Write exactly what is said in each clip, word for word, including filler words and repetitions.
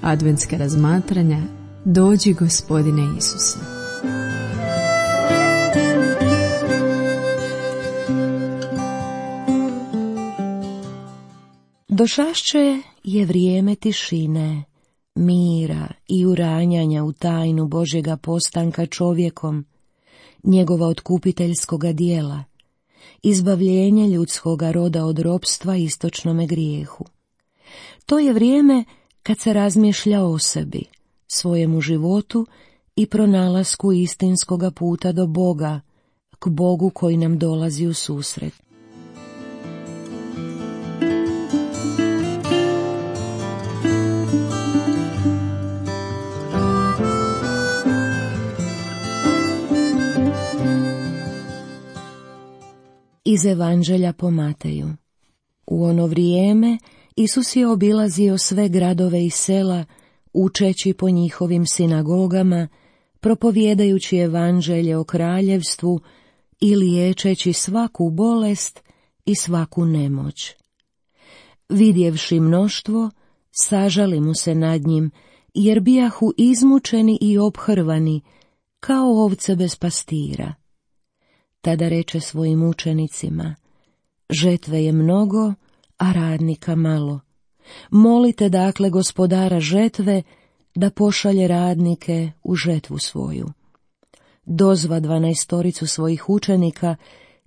adventska razmatranja Dođi Gospodine Isuse. Došašće je vrijeme tišine, mira i uranjanja u tajnu Božjega postanka čovjekom, njegova otkupiteljskoga dijela, izbavljenje ljudskoga roda od ropstva istočnome grijehu. To je vrijeme kad se razmišlja o sebi, svojemu životu i pronalasku istinskoga puta do Boga, k Bogu koji nam dolazi u susret. Iz Evanđelja po Mateju. U ono vrijeme Isus je obilazio sve gradove i sela, učeći po njihovim sinagogama, propovijedajući evanđelje o kraljevstvu i liječeći svaku bolest i svaku nemoć. Vidjevši mnoštvo, sažali mu se nad njim, jer bijahu izmučeni i obhrvani, kao ovce bez pastira. Tada reče svojim učenicima: žetve je mnogo, a radnika malo. Molite dakle gospodara žetve da pošalje radnike u žetvu svoju. Dozva dvanaestoricu svojih učenika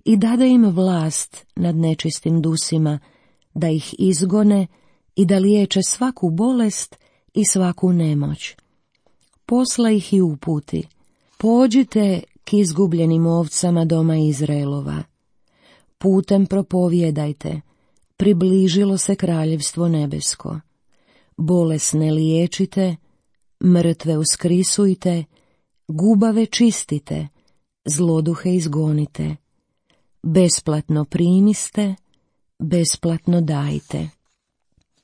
i dade im vlast nad nečistim dusima, da ih izgone i da liječe svaku bolest i svaku nemoć. Posla ih i uputi: pođite k izgubljenim ovcama doma Izraelova. Putem propovijedajte: približilo se kraljevstvo nebesko. Bolesne liječite, mrtve uskrisujte, gubave čistite, zloduhe izgonite. Besplatno primiste, besplatno dajte.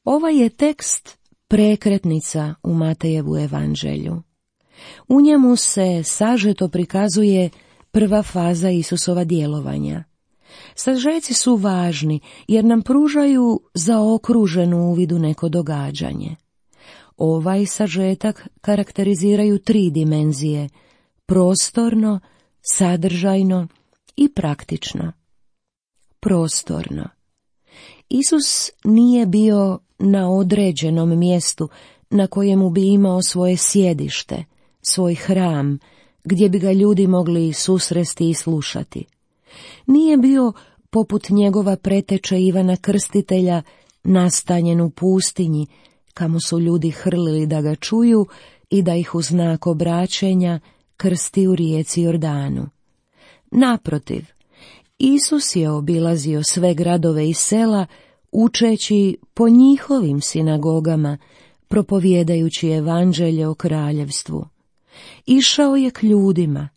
Ovaj je tekst prekretnica u Matejevu evanđelju. U njemu se sažeto prikazuje prva faza Isusova djelovanja. Sažeci su važni jer nam pružaju zaokruženu uvid u neko događanje. Ovaj sažetak karakteriziraju tri dimenzije: prostorno, sadržajno i praktično. Prostorno. Isus nije bio na određenom mjestu na kojemu bi imao svoje sjedište, svoj hram, gdje bi ga ljudi mogli susresti i slušati. Nije bio poput njegova preteče Ivana Krstitelja nastanjen u pustinji, kamo su ljudi hrlili da ga čuju i da ih u znak obraćenja krsti u rijeci Jordanu. Naprotiv, Isus je obilazio sve gradove i sela, učeći po njihovim sinagogama, propovijedajući evanđelje o kraljevstvu. Išao je k ljudima,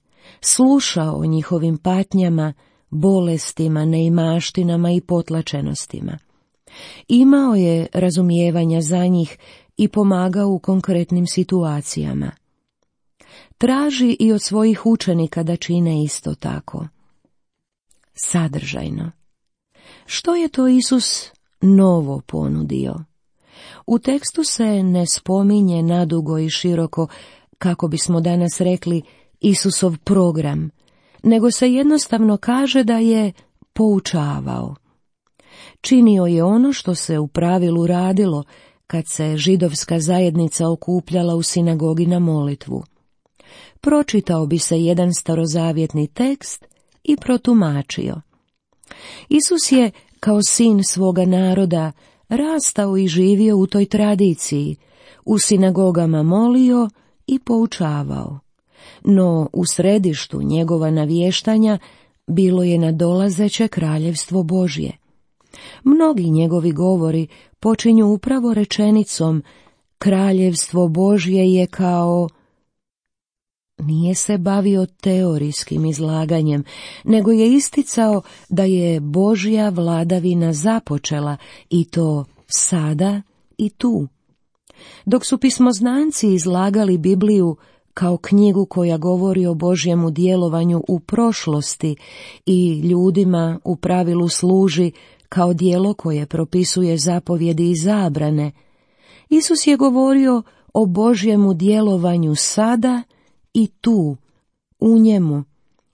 slušao o njihovim patnjama, bolestima, neimaštinama i potlačenostima. Imao je razumijevanja za njih i pomagao u konkretnim situacijama. Traži i od svojih učenika da čine isto tako. Sadržajno. Što je to Isus novo ponudio? U tekstu se ne spominje nadugo i široko, kako bismo danas rekli, Isusov program, nego se jednostavno kaže da je poučavao. Činio je ono što se u pravilu radilo kad se židovska zajednica okupljala u sinagogi na molitvu. Pročitao bi se jedan starozavjetni tekst i protumačio. Isus je, kao sin svoga naroda, rastao i živio u toj tradiciji, u sinagogama molio i poučavao. No u središtu njegova navještanja bilo je nadolazeće kraljevstvo Božje. Mnogi njegovi govori počinju upravo rečenicom: kraljevstvo Božje je kao... Nije se bavio teorijskim izlaganjem, nego je isticao da je Božja vladavina započela, i to sada i tu. Dok su pismoznanci izlagali Bibliju kao knjigu koja govori o Božjemu djelovanju u prošlosti i ljudima u pravilu služi kao djelo koje propisuje zapovjedi i zabrane, Isus je govorio o Božjemu djelovanju sada i tu, u njemu,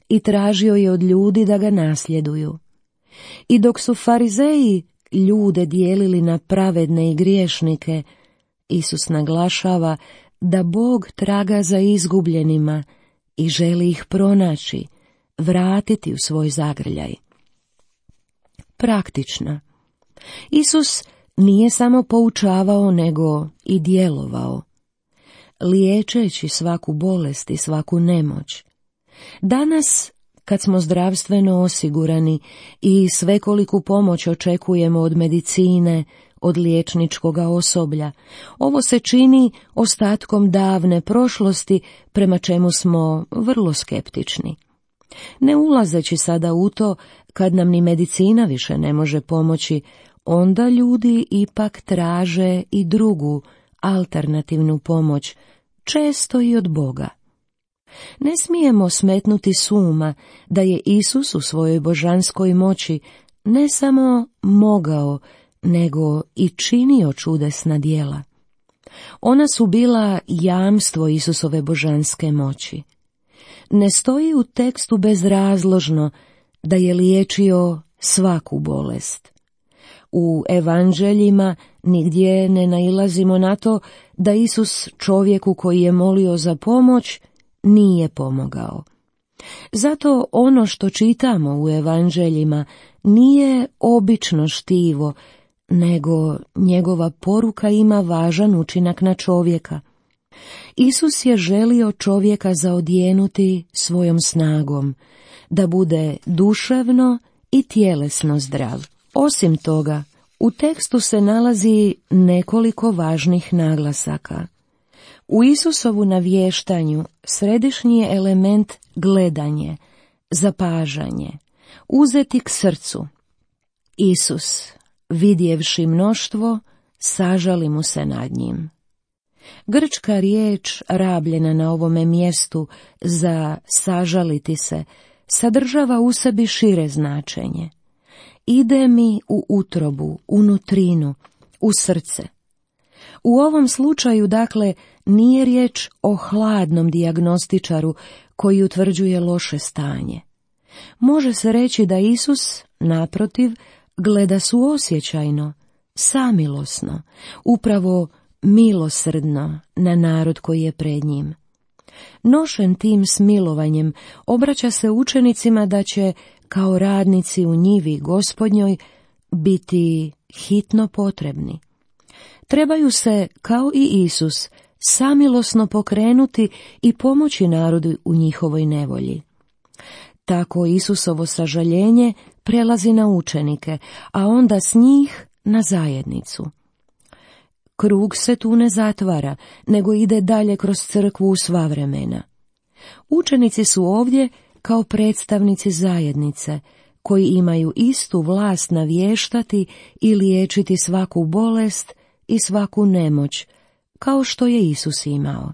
i tražio je od ljudi da ga nasljeduju. I dok su farizeji ljude dijelili na pravedne i griješnike, Isus naglašava da Bog traga za izgubljenima i želi ih pronaći, vratiti u svoj zagrljaj. Praktično. Isus nije samo poučavao, nego i djelovao, liječeći svaku bolest i svaku nemoć. Danas, kad smo zdravstveno osigurani i svekoliku pomoć očekujemo od medicine, od liječničkoga osoblja, ovo se čini ostatkom davne prošlosti prema čemu smo vrlo skeptični. Ne ulazeći sada u to, kad nam ni medicina više ne može pomoći, onda ljudi ipak traže i drugu, alternativnu pomoć, često i od Boga. Ne smijemo smetnuti s uma da je Isus u svojoj božanskoj moći ne samo mogao, nego i činio čudesna djela. Ona su bila jamstvo Isusove božanske moći. Ne stoji u tekstu bezrazložno da je liječio svaku bolest. U evanđeljima nigdje ne nailazimo na to da Isus čovjeku koji je molio za pomoć nije pomogao. Zato ono što čitamo u evanđeljima nije obično štivo, nego njegova poruka ima važan učinak na čovjeka. Isus je želio čovjeka zaodjenuti svojom snagom, da bude duševno i tjelesno zdrav. Osim toga, u tekstu se nalazi nekoliko važnih naglasaka. U Isusovu navještanju središnji je element gledanje, zapažanje, uzeti k srcu. Isus, vidjevši mnoštvo, sažali mu se nad njim. Grčka riječ rabljena na ovome mjestu za sažaliti se sadržava u sebi šire značenje. Ide mi u utrobu, u nutrinu, u srce. U ovom slučaju, dakle, nije riječ o hladnom dijagnostičaru koji utvrđuje loše stanje. Može se reći da Isus, naprotiv, gleda suosjećajno, samilosno, upravo milosrdno na narod koji je pred njim. Nošen tim smilovanjem, obraća se učenicima da će, kao radnici u njivi Gospodnjoj, biti hitno potrebni. Trebaju se, kao i Isus, samilosno pokrenuti i pomoći narodu u njihovoj nevolji. Tako Isusovo sažaljenje prelazi na učenike, a onda s njih na zajednicu. Krug se tu ne zatvara, nego ide dalje kroz crkvu u sva vremena. Učenici su ovdje kao predstavnici zajednice, koji imaju istu vlast navještati i liječiti svaku bolest i svaku nemoć, kao što je Isus imao.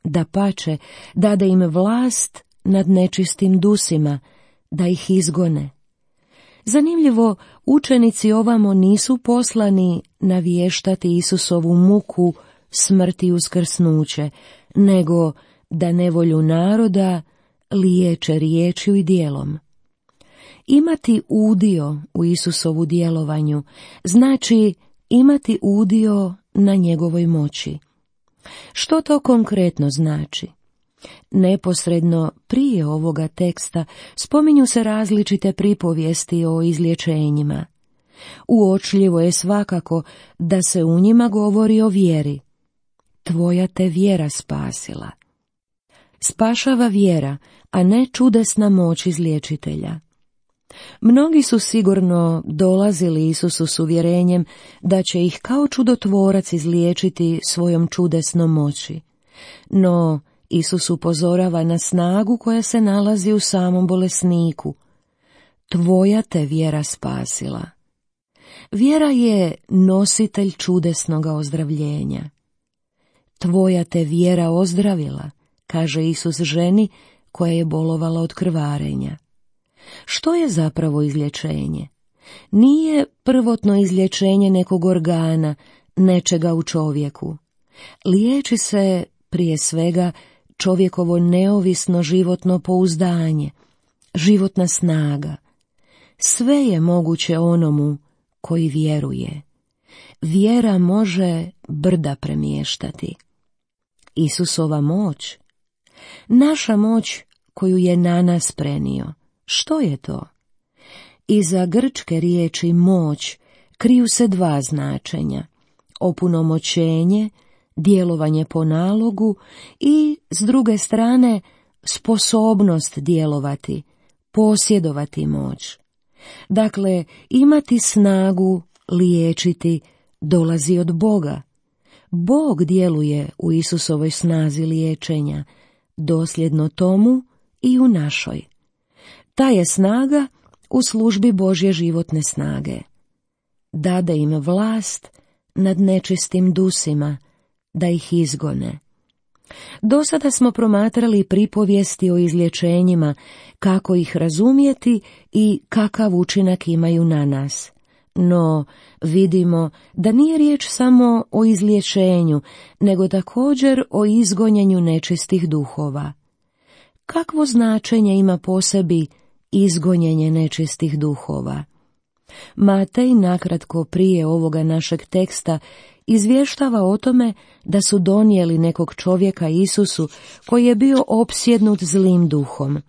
Dapače, dade im vlast nad nečistim dusima, da ih izgone. Zanimljivo, učenici ovamo nisu poslani navještati Isusovu muku, smrt i uskrsnuće, nego da nevolju naroda liječe riječju i djelom. Imati udio u Isusovu djelovanju znači imati udio na njegovoj moći. Što to konkretno znači? Neposredno prije ovoga teksta spominju se različite pripovijesti o izlječenjima. Uočljivo je svakako da se u njima govori o vjeri. Tvoja te vjera spasila. Spašava vjera, a ne čudesna moć izliječitelja. Mnogi su sigurno dolazili Isusu s uvjerenjem da će ih kao čudotvorac izliječiti svojom čudesnom moći. No, Isus upozorava na snagu koja se nalazi u samom bolesniku. Tvoja te vjera spasila. Vjera je nositelj čudesnoga ozdravljenja. Tvoja te vjera ozdravila, kaže Isus ženi koja je bolovala od krvarenja. Što je zapravo izlječenje? Nije prvotno izlječenje nekog organa, nečega u čovjeku. Liječi se prije svega čovjekovo neovisno životno pouzdanje, životna snaga. Sve je moguće onomu koji vjeruje. Vjera može brda premještati. Isusova moć, naša moć koju je na nas prenio. Što je to? Iza grčke riječi moć kriju se dva značenja: opunomoćenje, djelovanje po nalogu i, s druge strane, sposobnost djelovati, posjedovati moć. Dakle, imati snagu, liječiti, dolazi od Boga. Bog djeluje u Isusovoj snazi liječenja, dosljedno tomu i u našoj. Ta je snaga u službi Božje životne snage. Dade im vlast nad nečistim dusima, da ih izgone. Do sada smo promatrali pripovijesti o izlječenjima, kako ih razumjeti i kakav učinak imaju na nas. No, vidimo da nije riječ samo o izlječenju, nego također o izgonjenju nečistih duhova. Kakvo značenje ima po sebi izgonjenje nečistih duhova? Matej nakratko prije ovoga našeg teksta izvještava o tome da su donijeli nekog čovjeka Isusu koji je bio opsjednut zlim duhom.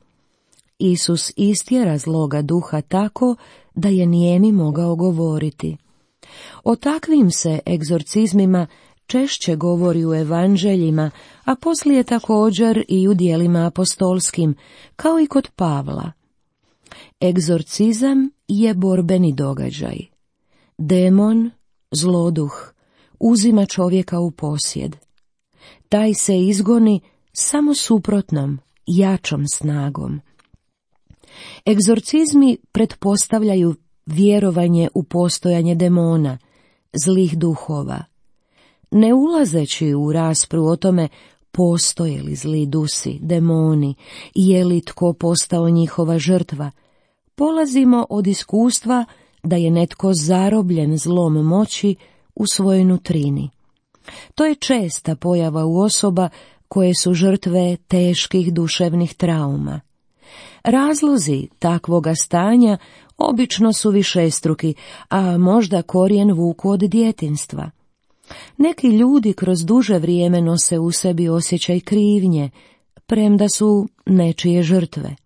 Isus istjera zloga duha tako da je nijemi mogao govoriti. O takvim se egzorcizmima češće govori u evanđeljima, a poslije također i u djelima apostolskim, kao i kod Pavla. Egzorcizam je borbeni događaj. Demon, zloduh, uzima čovjeka u posjed. Taj se izgoni samo suprotnom, jačom snagom. Egzorcizmi pretpostavljaju vjerovanje u postojanje demona, zlih duhova. Ne ulazeći u raspravu o tome postoje li zli dusi, demoni, je li tko postao njihova žrtva, polazimo od iskustva da je netko zarobljen zlom moći u svojoj nutrini. To je česta pojava u osoba koje su žrtve teških duševnih trauma. Razlozi takvoga stanja obično su višestruki, a možda korijen vuku od djetinjstva. Neki ljudi kroz duže vrijeme nose u sebi osjećaj krivnje, premda su nečije žrtve.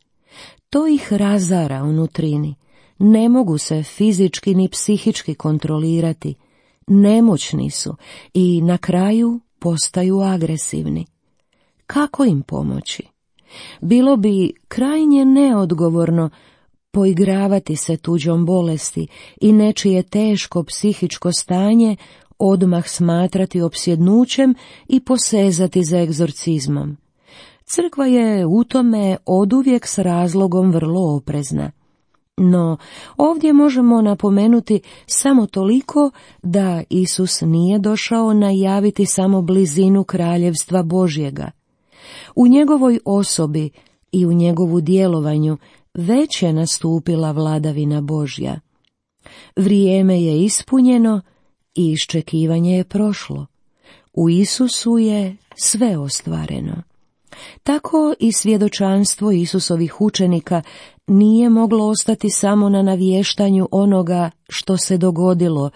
To ih razara u nutrini. Ne mogu se fizički ni psihički kontrolirati. Nemoćni su i na kraju postaju agresivni. Kako im pomoći? Bilo bi krajnje neodgovorno poigravati se tuđom bolesti i nečije teško psihičko stanje odmah smatrati opsjednućem i posezati za egzorcizmom. Crkva je u tome oduvijek s razlogom vrlo oprezna. No, ovdje možemo napomenuti samo toliko da Isus nije došao najaviti samo blizinu kraljevstva Božjega. U njegovoj osobi i u njegovu djelovanju već je nastupila vladavina Božja. Vrijeme je ispunjeno i iščekivanje je prošlo. U Isusu je sve ostvareno. Tako i svjedočanstvo Isusovih učenika nije moglo ostati samo na navještanju onoga što se dogodilo,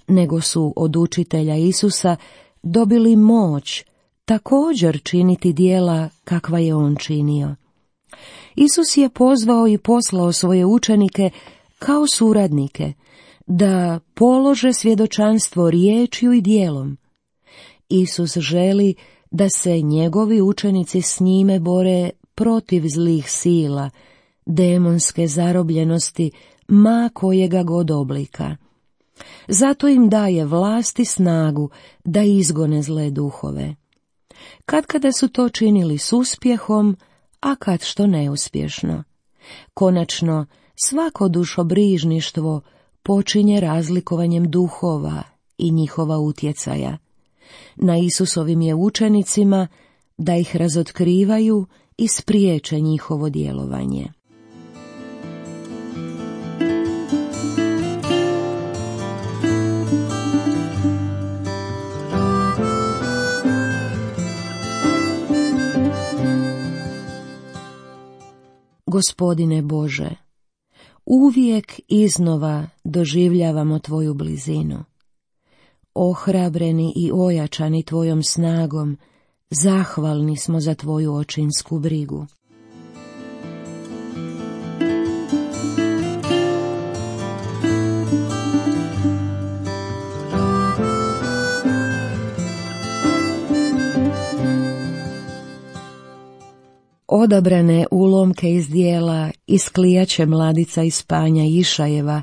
nego su od učitelja Isusa dobili moć također činiti djela kakva je on činio. Isus je pozvao i poslao svoje učenike kao suradnike da polože svjedočanstvo riječju i djelom. Isus želi da se njegovi učenici s njime bore protiv zlih sila, demonske zarobljenosti, ma kojega god oblika. Zato im daje vlast i snagu da izgone zle duhove. Katkada su to činili s uspjehom, a kad što neuspješno. Konačno, svako dušobrižništvo počinje razlikovanjem duhova i njihova utjecaja. Na Isusovim je učenicima da ih razotkrivaju i spriječe njihovo djelovanje. Gospodine Bože, uvijek iznova doživljavamo Tvoju blizinu. Ohrabreni i ojačani Tvojom snagom, zahvalni smo za Tvoju očinsku brigu. Odabrane ulomke iz dijela Isklijaće mladica iz Panja Išajeva,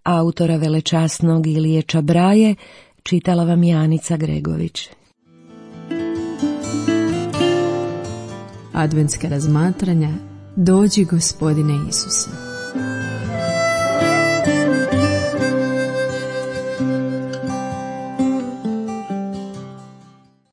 autora velečasnog Ilije Čabraje, čitala vam Janica Gregović. Adventska razmatranja Dođi Gospodine Isuse.